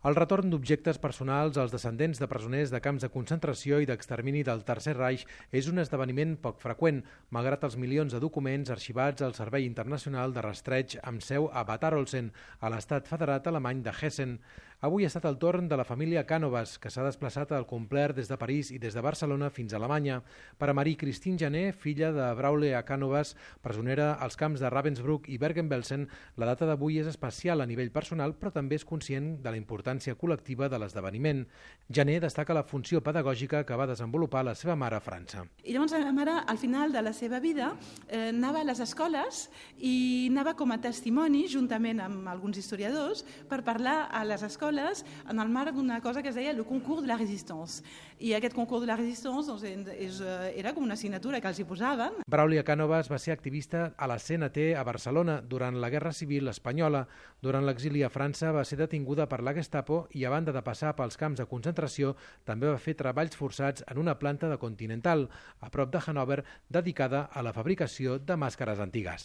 El retorn d'objectes personals als descendents de presoners de camps de concentració i d'extermini del Tercer Reich és un esdeveniment poc freqüent, malgrat els milions de documents arxivats al Servei Internacional de Rastreig amb seu a Bad Arolsen, a l'estat federat alemany de Hessen. Avui ha estat el torn de la família Canovas, que s'ha desplaçat al complet des de París i des de Barcelona fins a Alemanya. Per a Marie-Christine Jané, filla de Braule Canovas, presonera als camps de Ravensbrück i Bergen-Belsen, la data d'avui és especial a nivell personal, però també és conscient de la importància col·lectiva de l'esdeveniment. Jané destaca la funció pedagògica que va desenvolupar la seva mare a França. I llavors la mare, al final de la seva vida, anava a les escoles i anava com a testimoni, juntament amb alguns historiadors, per parlar a les escoles en el marc d'una cosa que es deia el concours de la resistance. I aquest concours de la resistance era com una assignatura que els hi posaven. Braule Canovas va ser activista a la CNT a Barcelona durant la Guerra Civil Espanyola. Durant l'exili a França va ser detinguda per la Gestapo i, a banda de passar pels camps de concentració, també va fer treballs forçats en una planta de Continental, a prop de Hannover, dedicada a la fabricació de màscares antigues.